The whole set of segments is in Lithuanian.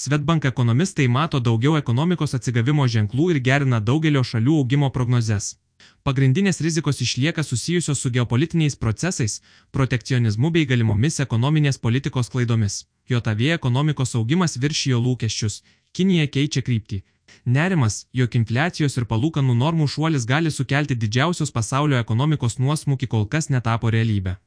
Swedbank ekonomistai mato daugiau ekonomikos atsigavimo ženklų ir gerina daugelio šalių augimo prognozes. Pagrindinės rizikos išlieka susijusios su geopolitiniais procesais, protekcionizmu bei galimomis ekonominės politikos klaidomis. JAV ekonomikos augimas viršijo lūkesčius, Kinija keičia kryptį. Nerimas, jog infliacijos ir palūkanų normų šuolis gali sukelti didžiausios pasaulio ekonomikos nuosmukį, kol kas netapo realybė.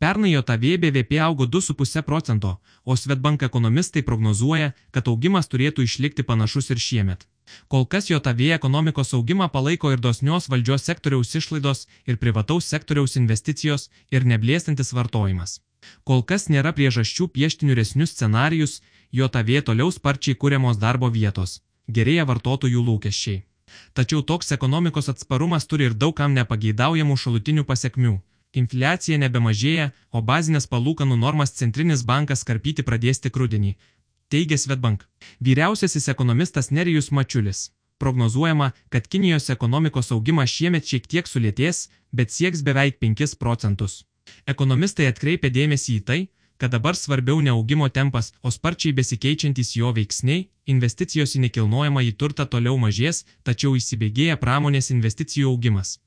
Pernai JAV BVP augo 2,5%, o Swedbank ekonomistai prognozuoja, kad augimas turėtų išlikti panašus ir šiemet. Kol kas JAV ekonomikos augimą palaiko ir dosnios valdžios sektoriaus išlaidos, ir privataus sektoriaus investicijos, ir neblėstantis vartojimas. Kol kas nėra priežasčių piešti niūresnius scenarijus, JAV toliau sparčiai kuriamos darbo vietos, gerėja vartotojų lūkesčiai. Tačiau toks ekonomikos atsparumas turi ir daug kam nepageidaujamų šalutinių pasekmių. Infliacija nebemažėja, o bazinės palūkanų normas centrinis bankas karpyti pradės tik rudenį, teigia Swedbank. Vyriausiasis ekonomistas Nerijus Mačiulis. Prognozuojama, kad Kinijos ekonomikos augimas šiemet šiek tiek sulėtės, bet sieks beveik 5%. Ekonomistai atkreipia dėmesį į tai, kad dabar svarbiau ne augimo tempas, o sparčiai besikeičiantys jo veiksniai, investicijos į nekilnojamąjį turtą toliau mažės, tačiau įsibėgėja pramonės investicijų augimas.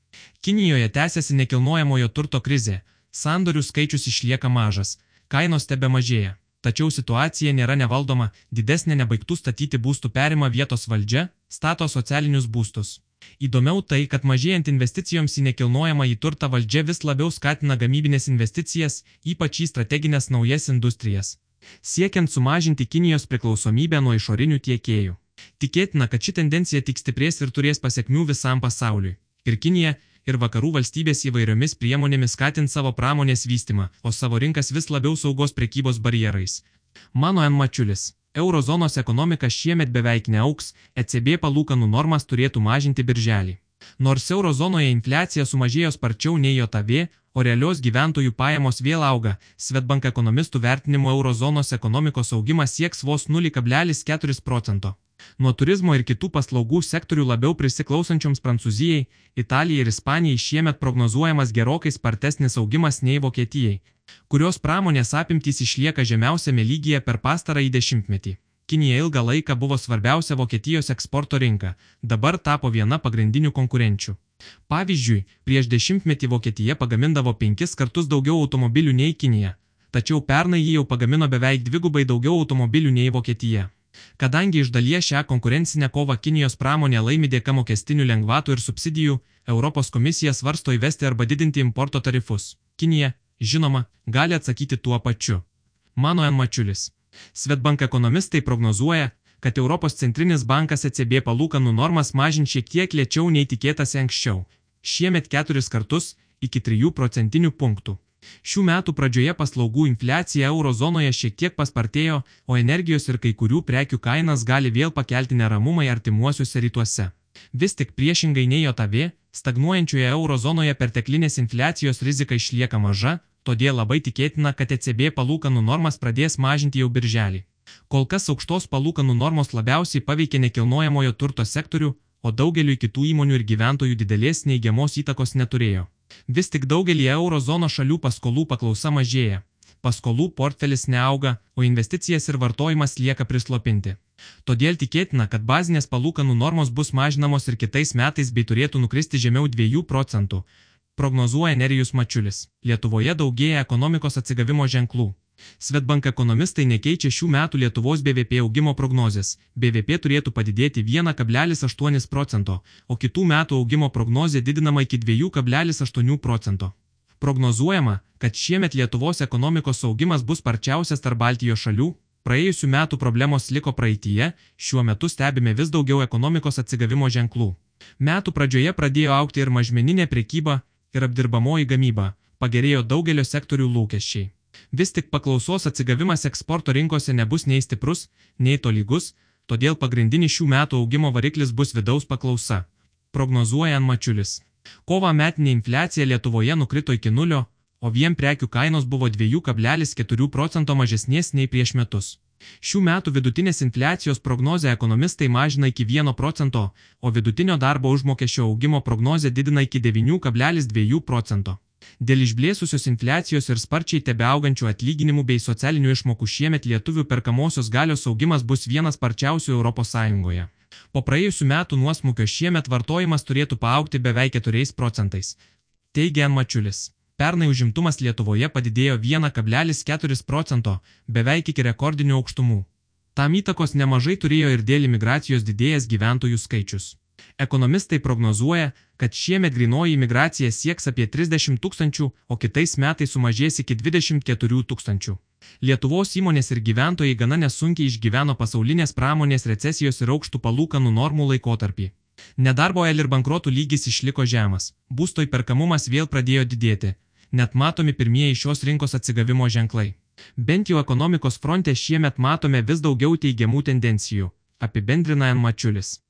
Kinijoje tęsiasi nekilnojamojo turto krizė, sandorių skaičius išlieka mažas, kainos tebemažėja, tačiau situacija nėra nevaldoma, didesnė nebaigtų statyti būstų perima vietos valdžia, stato socialinius būstus. Įdomiau tai, kad mažėjant investicijoms į nekilnojamąjį turtą valdžia vis labiau skatina gamybinės investicijas, ypač į strateginės naujas industrijas, siekiant sumažinti Kinijos priklausomybę nuo išorinių tiekėjų. Tikėtina, kad ši tendencija tik stiprės ir turės pasekmių visam pasauliui. Ir Kinija, ir vakarų valstybės įvairiomis priemonėmis skatins savo pramonės vystymą, o savo rinkas vis labiau saugos prekybos barjerais. Mano N. Mačiulis. Eurozonos ekonomika šiemet beveik neaugs, ECB palūkanų normas turėtų mažinti birželį. Nors eurozonoje infliacija sumažėjo sparčiau nei JAV, o realios gyventojų pajamos vėl auga, Swedbank ekonomistų vertinimu eurozonos ekonomikos augimas sieks vos 0,4%. Nuo turizmo ir kitų paslaugų sektorių labiau prisiklausančioms Prancūzijai, Italijai ir Ispanijai šiemet prognozuojamas gerokai spartesnis augimas nei Vokietijai, kurios pramonės apimtys išlieka žemiausiame lygyje per pastarąjį dešimtmetį. Kinija ilgą laiką buvo svarbiausia Vokietijos eksporto rinka, dabar tapo viena pagrindinių konkurenčių. Pavyzdžiui, prieš dešimtmetį Vokietija pagamindavo 5 kartus daugiau automobilių nei Kinija, tačiau pernai ji jau pagamino beveik 2 daugiau automobilių nei Vokietija. Kadangi iš dalies šią konkurencinę kovą Kinijos pramonė laimi dėka mokestinių lengvatų ir subsidijų, Europos komisija svarsto įvesti arba didinti importo tarifus. Kinija, žinoma, gali atsakyti tuo pačiu. Mano N. Mačiulis. Swedbank ekonomistai prognozuoja, kad Europos centrinis bankas ECB palūkanų normas mažins šiek tiek lėčiau nei tikėtasi anksčiau. Šiemet 4 kartus, iki 3 procentinių punktų. Šių metų pradžioje paslaugų infliacija eurozonoje šiek tiek paspartėjo, o energijos ir kai kurių prekių kainas gali vėl pakelti neramumai artimuosiuose rytuose. Vis tik priešingai nei JAV, stagnuojančioje eurozonoje perteklinės infliacijos rizika išlieka maža, todėl labai tikėtina, kad ECB palūkanų normas pradės mažinti jau birželį. Kol kas aukštos palūkanų normos labiausiai paveikė nekilnojamojo turto sektorių, o daugeliui kitų įmonių ir gyventojų didelės neigiamos įtakos neturėjo. Vis tik daugelį eurozono šalių paskolų paklausa mažėja. Paskolų portfelis neauga, o investicijas ir vartojimas lieka prislopinti. Todėl tikėtina, kad bazinės palūkanų normos bus mažinamos ir kitais metais bei turėtų nukristi žemiau 2 procentų, prognozuoja Nerijus Mačiulis. Lietuvoje daugėja ekonomikos atsigavimo ženklų. Swedbank ekonomistai nekeičia šių metų Lietuvos BVP augimo prognozės. BVP turėtų padidėti 1,8 procento, o kitų metų augimo prognozė didinama iki 2,8 procento. Prognozuojama, kad šiemet Lietuvos ekonomikos augimas bus sparčiausias tarp Baltijos šalių. Praėjusių metų problemos liko praeityje, šiuo metu stebime vis daugiau ekonomikos atsigavimo ženklų. Metų pradžioje pradėjo augti ir mažmeninė prekyba, ir apdirbamoji gamyba, pagerėjo daugelio sektorių lūkesčiai. Vis tik paklausos atsigavimas eksporto rinkose nebus nei stiprus, nei tolygus, todėl pagrindinis šių metų augimo variklis bus vidaus paklausa, prognozuoja N. Mačiulis. Kovą metinė infliacija Lietuvoje nukrito iki 0, o vien prekių kainos buvo 2,4 procento mažesnės nei prieš metus. Šių metų vidutinės infliacijos prognozę ekonomistai mažina iki 1 procento, o vidutinio darbo užmokesčio augimo prognozę didina iki 9,2 procento. Dėl išblėsusios infliacijos ir sparčiai tebeaugančių atlyginimų bei socialinių išmokų šiemet lietuvių perkamosios galios augimas bus vienas sparčiausių ES. Po praėjusių metų nuosmukio šiemet vartojimas turėtų paaugti beveik 4 procentais, teigia N. Mačiulis. Pernai užimtumas Lietuvoje padidėjo 1,4 procento, beveik iki rekordinių aukštumų. Tam įtakos nemažai turėjo ir dėl imigracijos didėjęs gyventojų skaičius. Ekonomistai prognozuoja, kad šiemet grynoji imigracija sieks apie 30 000, o kitais metais sumažės iki 24 000. Lietuvos įmonės ir gyventojai gana nesunkiai išgyveno pasaulinės pramonės recesijos ir aukštų palūkanų normų laikotarpį. Nedarbo ir bankrotų lygis išliko žemas, būsto įperkamumas vėl pradėjo didėti, net matomi pirmieji šios rinkos atsigavimo ženklai. Bent jau ekonomikos fronte šiemet matome vis daugiau teigiamų tendencijų, apibendrina N. Mačiulis.